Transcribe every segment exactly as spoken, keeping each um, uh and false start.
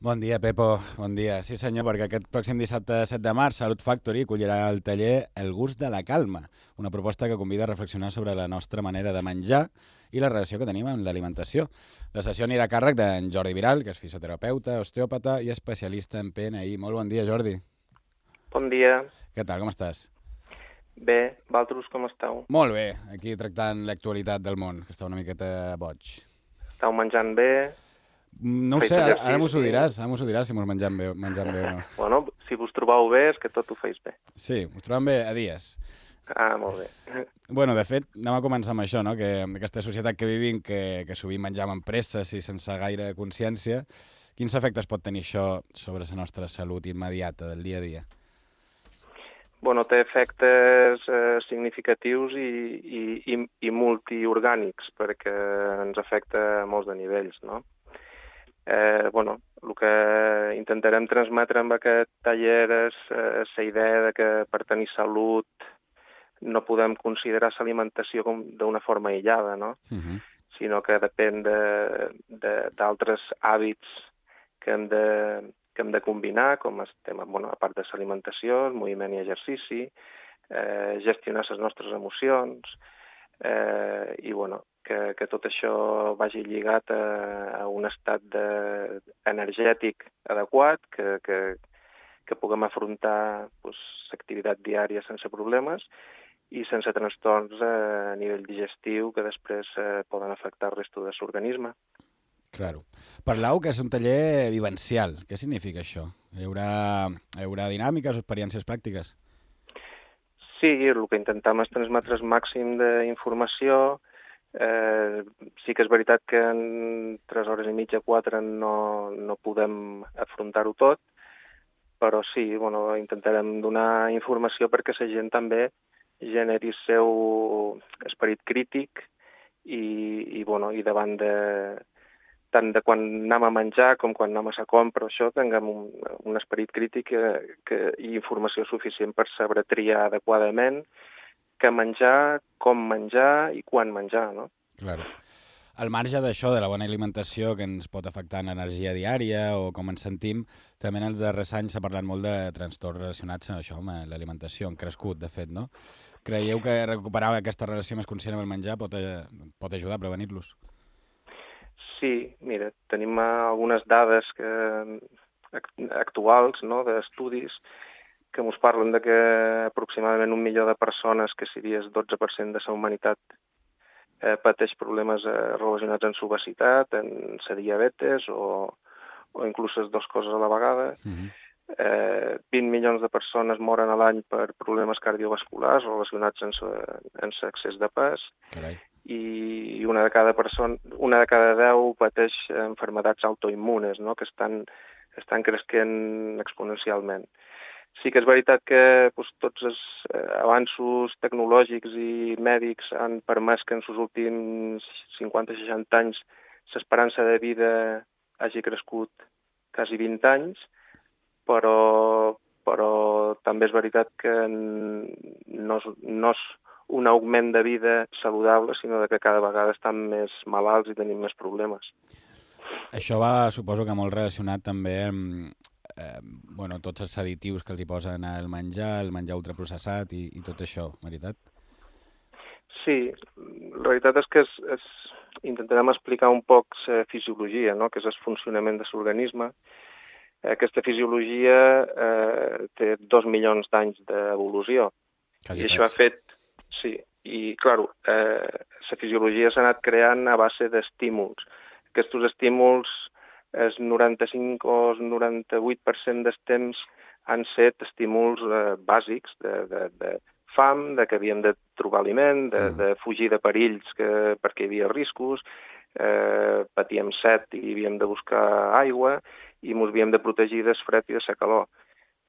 Bon dia, Pepo. Bon dia. Sí, senyor, perquè aquest pròxim dissabte set de març Salut Factory acollirà el taller El gust de la calma, una proposta que convida a reflexionar sobre la nostra manera de menjar i la relació que tenim amb l'alimentació. La sessió anirà a càrrec d'en Jordi Viral, que és fisioterapeuta, osteòpata i especialista en P N I. Molt bon dia, Jordi. Bon dia. Què tal, com estàs? Bé, vosaltres com esteu? Molt bé, aquí tractant l'actualitat del món, que està una miqueta boig. Esteu menjant bé? No ho Feis sé, ara, ara exercici? mos ho diràs, ara mos ho diràs si mos menjam bé, menjam bé o no. Bueno, si vos trobeu bé és que tot ho feis bé. Sí, us trobem bé a dies. Ah, molt bé. Bueno, de fet, anem a començar amb això, no? Que aquesta societat que vivim, que, que sovint menjam amb presses i sense gaire consciència, quins efectes pot tenir això sobre la nostra salut immediata del dia a dia? Bueno, té efectes eh, significatius i, i, i, i multiorgànics, perquè ens afecta a molts de nivells, no? Eh, bueno, el que intentarem transmetre amb aquest taller és eh, la idea de que per tenir salut no podem considerar l'alimentació com d'una forma aïllada, no? Uh-huh. Sinó que depèn d'altres hàbits que hem de, que hem de combinar, com el tema, bueno, a part de l'alimentació, el moviment i exercici, eh, gestionar les nostres emocions, eh, i bueno, que, que tot això vagi lligat a, a un estat de, energètic adequat, que, que, que puguem afrontar pues, l'activitat diària sense problemes i sense trastorns a nivell digestiu que després eh, poden afectar el resto de l'organisme. Claro. Parlau que és un taller vivencial. Què significa això? Hi haurà, hi haurà dinàmiques o experiències pràctiques? Sí, el que intentem és transmetre el màxim d'informació. Eh, sí que és veritat que en tres hores i mitja, quatre, no, no podem afrontar-ho tot, però sí, bueno, intentarem donar informació perquè la gent també generi el seu esperit crític i, i, bueno, i davant de tant de quan anem a menjar com quan anem a la compra, això tinguem un, un esperit crític que, que, i informació suficient per saber triar adequadament què menjar, com menjar i quan menjar, no? Claro. Al marge d'això, de la bona alimentació que ens pot afectar en l'energia diària o com ens sentim, també en els darrers anys s'ha parlat molt de trastorns relacionats amb això, amb l'alimentació, han crescut, de fet, no? Creieu que recuperar aquesta relació més conscient amb el menjar pot, pot ajudar a prevenir-los? Sí, mira, tenim algunes dades que, actuals, no?, d'estudis que ens parlen de que aproximadament un milió de persones, que seria el dotze per cent de la humanitat, eh, pateix problemes eh, relacionats amb l'obesitat, amb la diabetes o, o inclús les dues coses a la vegada. Uh-huh. Eh, vint milions de persones moren a l'any per problemes cardiovasculars relacionats amb l'excés de pes. Carai. I una de cada persona, una de cada deu pateix enfermedats autoimmunes, no?, que estan, estan creixent exponencialment. Sí que és veritat que pues, tots els avanços tecnològics i mèdics han permès que en els últims cinquanta a seixanta anys l'esperança de vida hagi crescut quasi vint anys, però, però també és veritat que no és, no és un augment de vida saludable, sinó que cada vegada estan més malalts i tenim més problemes. Això va, suposo que molt relacionat també amb eh, bueno, tots els additius que els hi posen al menjar, el menjar ultraprocessat i, i tot això, veritat? Sí, la veritat és que és, és, intentarem explicar un poc la fisiologia, no?, que és el funcionament de l'organisme. Aquesta fisiologia eh, té dos milions d'anys d'evolució. I això ha fet... Sí, i, clar, eh, la fisiologia s'ha anat creant a base d'estímuls. Aquests estímuls, el noranta-cinc o el noranta-vuit per cent dels temps han set estímuls eh, bàsics de, de, de fam, de que havíem de trobar aliment, de, de fugir de perills que, perquè hi havia riscos, eh, patíem set i havíem de buscar aigua i ens havíem de protegir del fred i de la calor.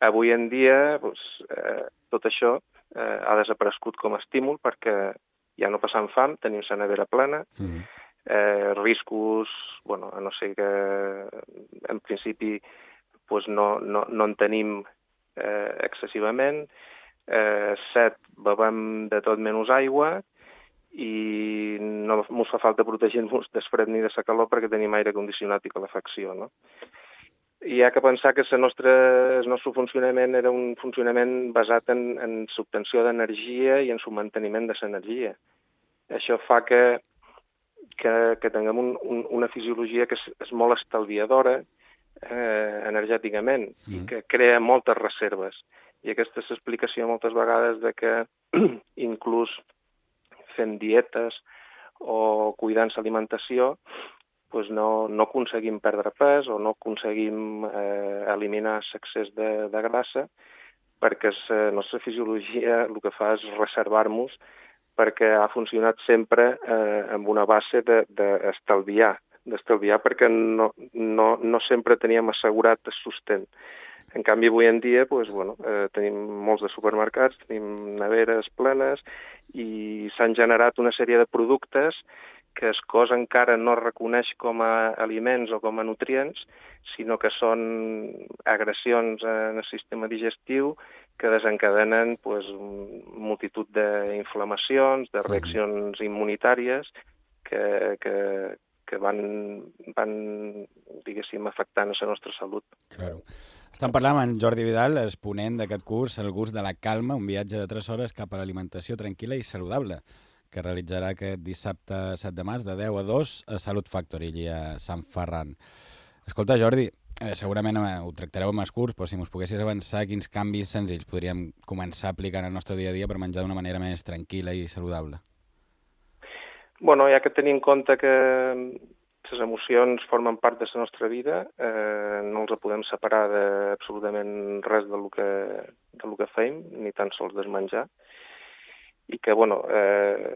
Avui en dia, doncs, eh, tot això eh, ha desaparegut com a estímul perquè ja no passam fam, tenim la nevera plena, mm. eh, riscos, bueno, a no ser que en principi pues, no, no, no en tenim eh, excessivament, eh, set, bevem de tot menys aigua i no ens fa falta protegir-nos del fred ni de la calor perquè tenim aire condicionat i calefacció, no? hi ha que pensar que la nostra, el nostre funcionament era un funcionament basat en, en l'obtenció d'energia i en el manteniment de l'energia. Això fa que, que, que tinguem un, un, una fisiologia que és, és molt estalviadora eh, energèticament mm. i que crea moltes reserves. I aquesta és l'explicació moltes vegades de que inclús fent dietes o cuidant l'alimentació pues no, no aconseguim perdre pes o no aconseguim eh, eliminar l'excés de, de grassa perquè la nostra fisiologia el que fa és reservar-nos perquè ha funcionat sempre eh, amb una base d'estalviar, de, d'estalviar perquè no, no, no sempre teníem assegurat el sostén. En canvi, avui en dia pues, bueno, eh, tenim molts de supermercats, tenim neveres plenes i s'han generat una sèrie de productes que el cos encara no reconeix com a aliments o com a nutrients, sinó que són agressions en el sistema digestiu que desencadenen pues, multitud d'inflamacions, de reaccions immunitàries que, que, que van, van diguéssim, afectant la nostra salut. Claro. Estem parlant amb en Jordi Vidal, exponent d'aquest curs, El gust de la calma, un viatge de tres hores cap a l'alimentació tranquil·la i saludable, que realitzarà aquest dissabte set de març de deu a dos a Salut Factory, allà a Sant Ferran. Escolta, Jordi, eh, segurament eh, ho tractareu amb el curs, però si mos poguessis avançar, quins canvis senzills podríem començar a aplicar en el nostre dia a dia per menjar d'una manera més tranquil·la i saludable? Bueno, hi ha que tenir en compte que les emocions formen part de la nostra vida, eh, no els podem separar d'absolutament res del que, del que fem, ni tan sols del menjar, i que, bueno, eh,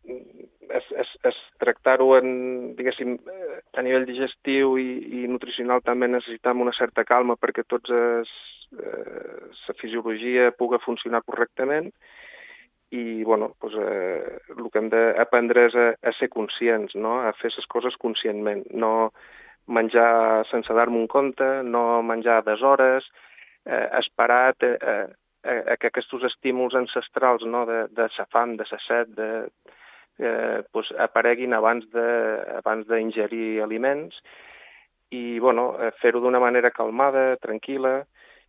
és, és, és tractar-ho en, diguéssim, a nivell digestiu i, i nutricional també necessitem una certa calma perquè tots es, eh, la fisiologia pugui funcionar correctament i, bueno, doncs, eh, el que hem d'aprendre és a, a ser conscients, no? A fer les coses conscientment, no menjar sense dar-me un compte, no menjar a deshores, eh, esperar a, a, a que aquests estímuls ancestrals, no? de, de la fam, de la set, de, eh, doncs apareguin abans de, abans d'ingerir aliments i, bueno, fer-ho d'una manera calmada, tranquil·la,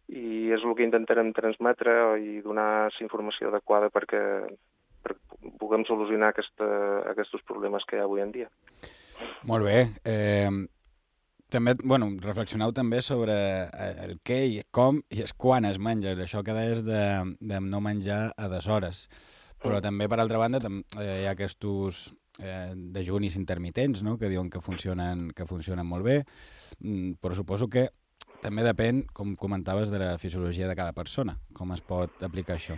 i és el que intentarem transmetre i donar la informació adequada perquè, perquè puguem solucionar aquesta, aquests problemes que hi ha avui en dia. Molt bé. Eh, també, bueno, reflexioneu també sobre el què i com i el quan es menja, això que deies de, de no menjar a deshores. Però mm. també, per altra banda, tam, eh, hi ha aquests eh, dejunis intermitents, no?, que diuen que funcionen, que funcionen molt bé, mm, però suposo que també depèn, com comentaves, de la fisiologia de cada persona. Com es pot aplicar això?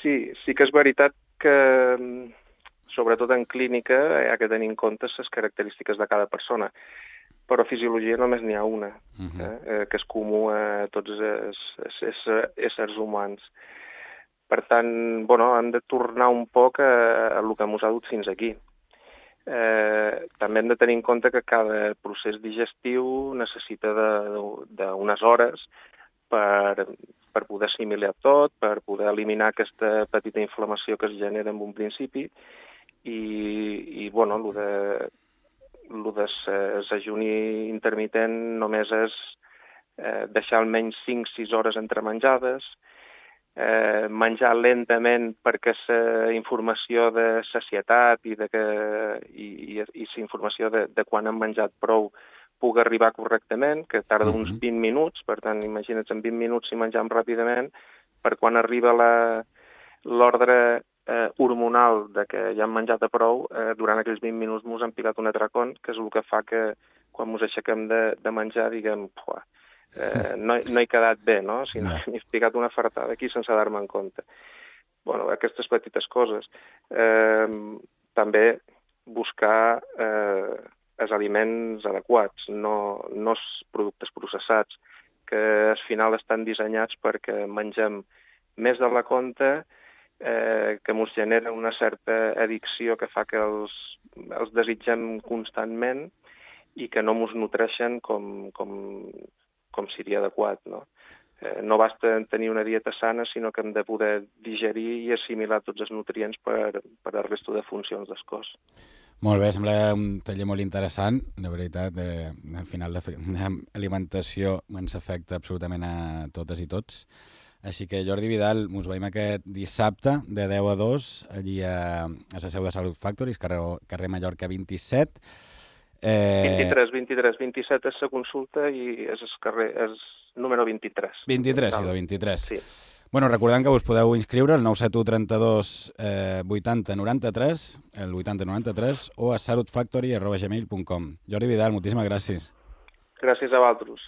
Sí, sí que és veritat que, sobretot en clínica, hi ha que tenir en compte les característiques de cada persona. Però fisiologia només n'hi ha una, uh-huh. eh, que és comú a tots els, els, els éssers humans. Per tant, bueno, hem de tornar un poc a, a el que ens ha dut fins aquí. Eh, també hem de tenir en compte que cada procés digestiu necessita d'unes hores per, per poder assimilar tot, per poder eliminar aquesta petita inflamació que es genera en un principi i, i bueno, el de, el de l'ajuni intermitent només és eh, deixar almenys cinc sis hores entre menjades, Eh, menjar lentament perquè la informació de sacietat i, de que, i, i, i la informació de, de quan hem menjat prou pugui arribar correctament, que tarda uns vint minuts, per tant, imagina't, en vint minuts si mengem ràpidament, per quan arriba l'ordre eh, hormonal de que ja hem menjat a prou, eh, durant aquells vint minuts ens hem picat un atracón, que és el que fa que quan ens aixequem de, de menjar diguem, puah, Eh, no, no he quedat bé, no? Si no, m'he picat una fartada aquí sense dar-me en compte. Bueno, aquestes petites coses. Eh, també buscar eh, els aliments adequats, no, no els productes processats, que al final estan dissenyats perquè mengem més de la compte, eh, que ens genera una certa addicció que fa que els, els desitgem constantment i que no ens nutreixen com... com com seria adequat, no? Eh, no basta tenir una dieta sana, sinó que hem de poder digerir i assimilar tots els nutrients per, per al resto de funcions del cos. Molt bé, sembla un taller molt interessant, de veritat. Eh, al final l'alimentació ens afecta absolutament a totes i tots. Així que, Jordi Vidal, us veiem aquest dissabte de deu a dos, allí a, a la seu de Salut Factory, carrer, carrer Mallorca vint-i-set. Eh... vint-i-tres, vint-i-tres, vint-i-set és la consulta i és el carrer, és número vint-i-tres. vint-i-tres, sí, de vint-i-tres. Sí. Bueno, recordant que us podeu inscriure al nou set u trenta-dos eh, vuitanta noranta-tres, el vuitanta noranta-tres, o a salutfactory arroba gmail punt com. Jordi Vidal, moltíssimes gràcies. Gràcies a vosaltres.